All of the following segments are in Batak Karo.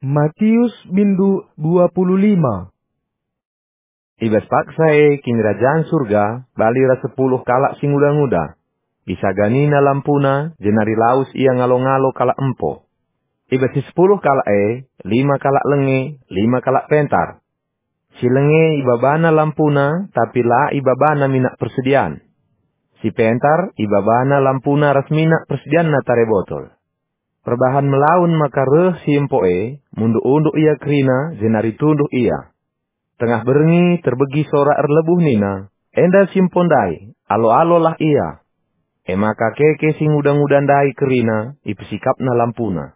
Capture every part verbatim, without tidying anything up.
Matius bindu dua puluh lima. I bas paksa e Kinirajan Surga bali ras sepuluh kalak si nguda-nguda. Isaganina lampuna, jenari lawes ia ngalo-ngalo kalak empo. I bas si sepuluh kalak e, lima kalak lenge, lima kalak pentar. Si lenge ibabana lampuna, tapi la ibabana minak persedian. Si pentar ibabana lampuna ras minak persedianna tare botol. Perbahan melaun maka reh si empo e, munduk-unduk ia kerina, jenari tunduh ia. Tengah berngi terbegi sora erlebuh nina, "Enda si empo ndai, alo-alolah ia." E maka keke si nguda-nguda ndai kerina, ipesikapna lampuna.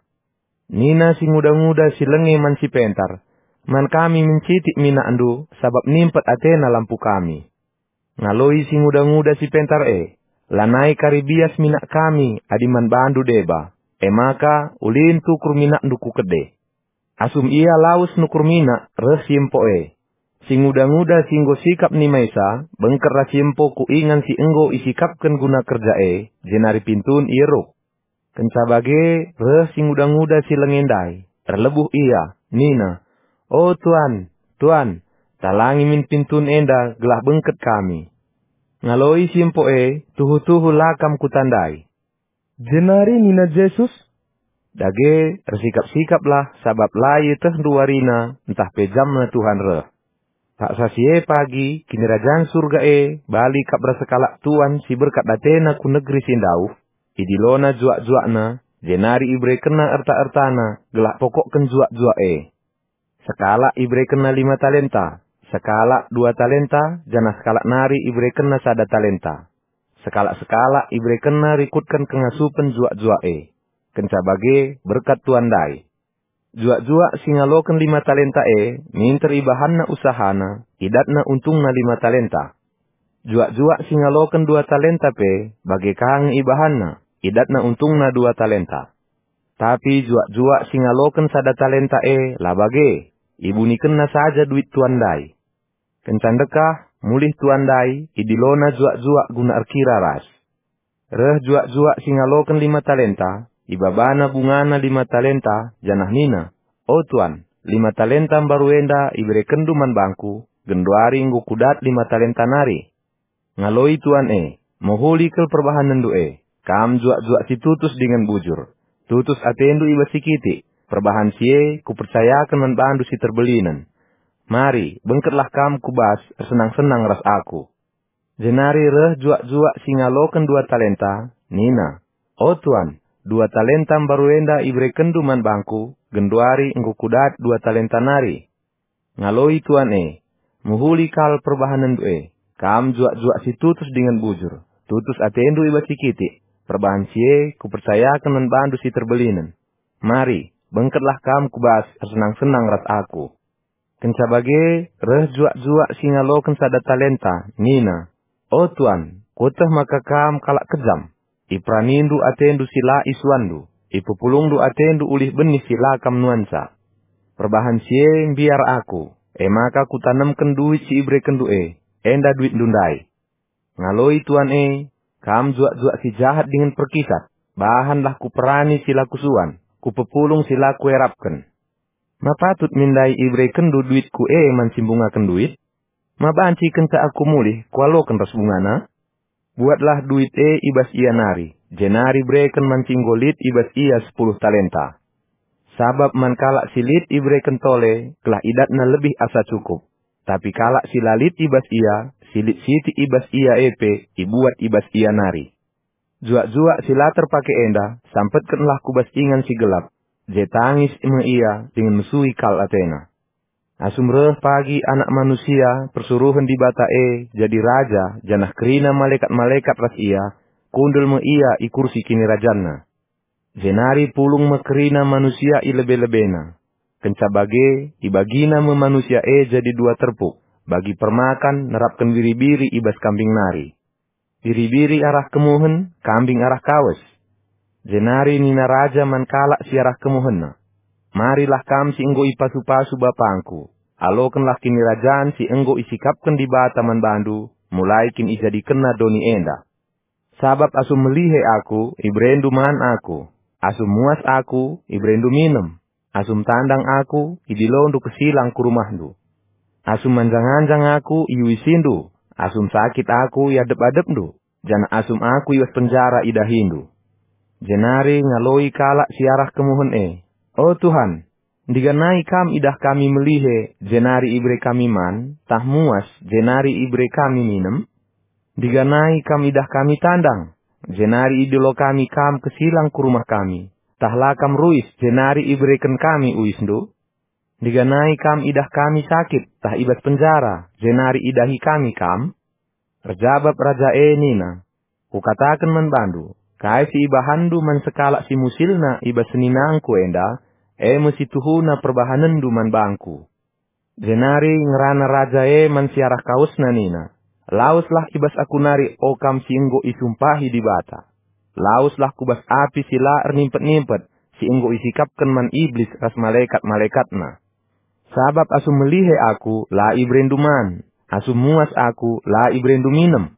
Nina si nguda-nguda si lenge man si pentar, "Man kami mencitik minakndu, sabap nimpet atena lampu kami." Ngaloi si nguda-nguda si pentar e, "Lanai kari bias minak kami adi man bandu deba, e maka ulin tukur minakndu ku kede." Asum ia lawes nukur minak reh si empo e. Si nguda-nguda si enggo sikap nimaisa, bengket ras si empo ku ingan si enggo isikapken guna kerja e, jenari pintun ieruk. Kenca bage reh si nguda-nguda si lenge ndai, erlebuh ia, nina, "O Tuan, Tuan, talangi min pintun enda gelah bengket kami." Ngaloi si empo e, "Tuhu-tuhu la kam kutandai." Jenari nina Jesus, "Dage, ersikap-sikaplah, sabap la ietehndu warina ntah pe jamna Tuhan reh." Paksa si e pagi, Kinirajan Surga e bali kap ras sekalak tuan si berkat atena ku negeri si ndauh, idilona juak-juakna, jenari iberekenna erta-ertana gelah pokokken juak-juak e. Sekalak iberekenna lima talenta, sekalak dua talenta, janah sekalak nari iberekenna sada talenta. Sekalak-sekalak iberekenna rikutken kengasupen juak-juak e. Kenca bage, berkat tuan ndai. Juak-juak si ngaloken lima talenta e minter ibahanna usahana, idatna untungna lima talenta. Juak-juak si ngaloken dua talenta pe bage ka nge ibahanna, idatna untungna dua talenta. Tapi juak-juak si ngaloken sada talenta e la bage, ibunikenna saja duit tuan ndai. Kenca ndekah, mulih tuan ndai, idilona juak-juak guna erkira ras. Reh juak-juak si ngaloken lima talenta, ibabana bungana lima talenta, janah nina, "O Tuan, lima talenta mbaru enda iberekenndu man bangku, genduari enggo kudat lima talenta nari." Ngaloi tuan e, "Mehuli kal perbahanenndu e, kam juak-juak si tutus dingen bujur. Tutus atendu i bas si kitik, perbahan si e kupercayaken man bandu si terbelinen. Mari, bengketlah kam ku bas ersenang-senang ras aku." Jenari reh juak-juak si ngaloken dua talenta, nina, "O Tuan, dua talenta mbaru enda iberekenndu man bangku, genduari enggo kudat dua talenta nari." Ngaloi tuan e, "Mehuli kal perbahanenndu e, kam juak-juak si tutus dingen bujur, tutus atendu i bas si kitik, perbahan si e kupercayaken man bandu si terbelinen. Mari, bengketlah kam ku bas ersenang-senang ras aku." Kenca bage, reh juak-juak si ngaloken sada talenta, nina, "O Tuan, kueteh maka kam kalak kejam. Iperanindu atendu si la isuanndu, ipepulungndu atendu ulih benih si la kam nuanca. Perbahan si e mbiar aku, e maka kutanemken duit si iberekenndu e, enda duitndu ndai." Ngaloi tuan e, "Kam juak-juak si jahat dingen perkisat, bahanlah kuperani si la kusuan, kupepulung si la kuerapken. Ma patut min ndai iberekenndu duitku e man si mbungaken duit? Ma banci kenca aku mulih kualoken ras bungana? Buatlah duit e i bas ia nari, jenari bereken man si enggo lit i bas ia sepuluh talenta. Sabap man kalak si lit ibereken tole, gelah idatna lebih asa cukup. Tapi kalak si la lit i bas ia, si lit sitik i bas ia e pe ibuat i bas ia nari. Juak-juak si la terpake enda, sampetkenlah ku bas ingan si gelap, je tangis me ia dingen mesui kal atena. Asum reh pagi Anak Manusia persuruhen Dibata e jadi Raja, janah kerina malekat-malekat ras ia, kundul me ia i kursi kinirajanna. Jenari pulung me kerina manusia i lebe-lebena. Kenca bage, ibagina me manusia e jadi dua terpuk, bagi permakan nerapken biri-biri i bas kambing nari. Biri-biri arah kemuhen, kambing arah kawes. Jenari nina Raja man kalak si arah kemuhenna, "Marilah kam si enggo ipasu-pasu bapangku, alokenlah kinirajan si enggo isikapken Dibata man bandu, mulai kin ijadikenna doni enda. Sabap asum melihe aku, iberendu man aku, asum muas aku, iberendu minem, asum tandang aku, idilondu kesilang ku rumahndu. Asum manjang-anjang aku, iuisindu, asum sakit aku, iadep-adepndu, janah asum aku i bas penjara idahindu. Jenari ngaloi kalak si arah kemuhen e, "O Tuhan, ndiganai Kam idah kami melihe, jenari ibere kami man, tah muas, jenari ibere kami minem? Ndiganai Kam idah kami tandang, jenari idilo kami Kam kesilang ku rumah kami, tah la Kam ruis, jenari ibereken kami uisndu? Ndiganai Kam idah kami sakit, tah i bas penjara, jenari idahi kami Kam?" Erjabap raja e nina, "Kukataken man bandu, kai si ibahanndu man sekalak si musilna i bas seninangku enda, e me si tuhuna perbahanenndu man bangku." Jenari ngerana raja e man si arah kawesna nina, "Laweslah i bas aku nari, o kam si enggo isumpahi Dibata. Laweslah ku bas api si la ernimpet-nimpet, si enggo isikapken man Iblis ras malekat-malekatna. Sabap asum melihe aku, la iberendu man, asum muas aku, la iberendu minem.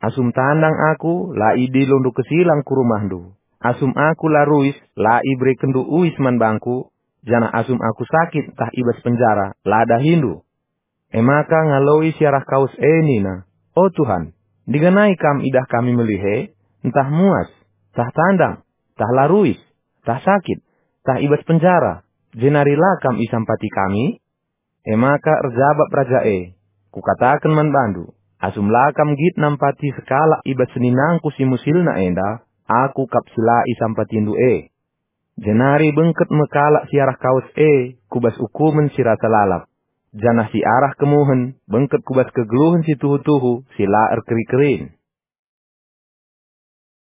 Asum tandang aku, la idilondu kesilang ku rumahndu. Asum aku la ruis, la iberekenndu uis man bangku, janah asum aku sakit tah i bas penjara, la dahindu." E maka ngaloi si arah kawes e nina, "O Tuhan, ndiganai Kam idah kami melihe, ntah muas, tah tandang, tah la ruis, tah sakit, tah i bas penjara, jenari la Kam isampati kami?" E maka erjabap raja e, "Kukataken man bandu, asum la kam nggit nampati sekalak i bas seninangku si musilna enda, aku kap si la isampatindu e." Jenari bengket me kalak si arah kawes e ku bas ukumen si rasa lalap, janah si arah kemuhen bengket ku bas kegeluhen si tuhu-tuhu si la erkeri-kerin.